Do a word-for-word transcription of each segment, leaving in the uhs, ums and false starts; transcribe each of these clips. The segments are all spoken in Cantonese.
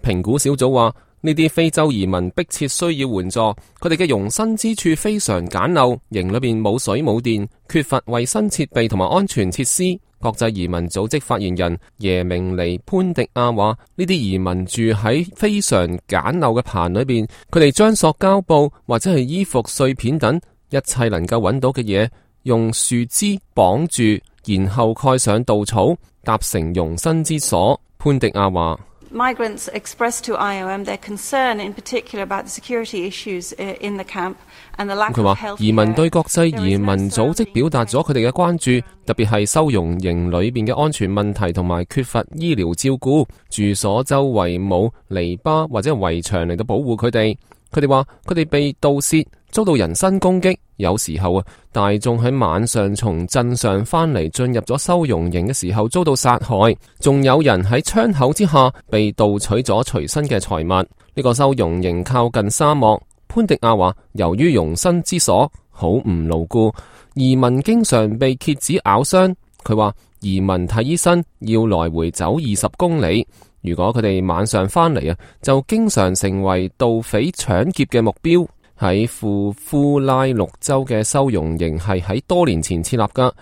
評估小組話，呢啲非洲移民迫切需要援助，佢哋嘅容身之處非常簡陋，營裏邊冇水冇電，缺乏衛生設備同埋安全設施。國際移民組織發言人耶明尼潘迪亞話，呢啲移民住喺非常簡陋嘅棚裏邊，佢哋將塑膠布或者係衣服碎片等一切能夠揾到嘅嘢，用樹枝綁住，然後蓋上稻草，搭成容身之所。潘迪亞話，Migrants expressed to I O M their concern in particular about the security issues in the camp and the lack of health care。佢話，移民對國際移民組織表達咗佢哋嘅關注，特別係收容營裏邊嘅安全問題同埋缺乏醫療照顧，住所周圍冇籬笆或者圍牆嚟到保護佢哋。佢哋話佢哋被盜竊，遭到人身攻擊，有時候啊，大眾喺晚上從鎮上翻嚟進入咗收容營嘅時候遭到殺害，仲有人喺窗口之下被盜取咗隨身嘅財物。呢個收容營靠近沙漠。潘迪亞話，由於容身之所好唔牢固，移民經常被蠍子咬傷。佢話移民睇醫生要來回走二十公里。如果佢哋晚上翻嚟啊，就經常成為盜匪搶劫嘅目標。喺庫夫拉綠州嘅收容營係喺多年前設立噶，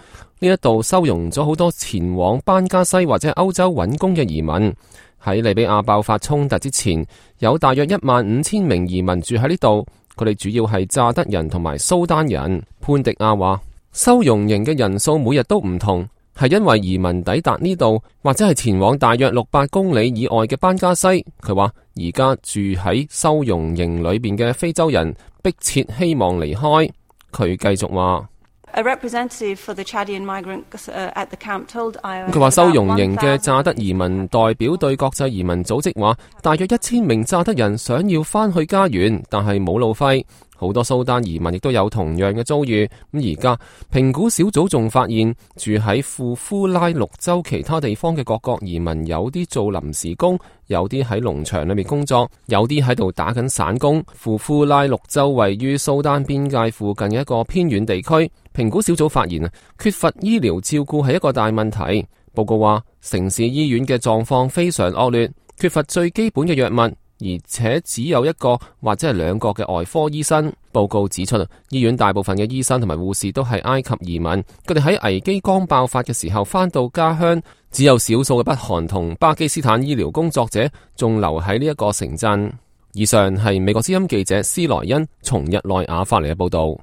呢一度收容咗好多前往班加西或者歐洲揾工嘅移民。喺利比亞爆發衝突之前，有大約一萬五千名移民住喺呢度，佢哋主要係乍得人同埋蘇丹人。潘迪亞話，收容營嘅人數每日都唔同，係因為移民抵達呢度或者係前往大約六百公里以外嘅班加西。佢話而家住喺收容營裏邊嘅非洲人迫切希望離開。佢繼續話，A representative for the Chadian migrants at the camp told I O M。 佢話收容營嘅乍得移民代表對國際移民組織話，大約一千名乍得人想要翻去家園，但係冇路費。好多蘇丹移民亦都有同樣嘅遭遇。咁而家評估小組仲發現，住喺庫夫拉綠州其他地方嘅各國移民，有啲做臨時工，有啲喺農場裏面工作，有啲喺度打緊散工。庫夫拉綠州位於蘇丹邊界附近嘅一個偏遠地區。評估小組發現啊，缺乏醫療照顧係一個大問題。報告話，城市醫院嘅狀況非常惡劣，缺乏最基本嘅藥物，而且只有一個或者係兩個嘅外科醫生。報告指出，醫院大部分嘅醫生同埋護士都係埃及移民，佢哋喺危機剛爆發嘅時候返到家鄉，只有少數嘅北韓同巴基斯坦醫療工作者仲留喺呢一個城鎮。以上係美國之音記者斯萊恩從日內瓦發嚟嘅報道。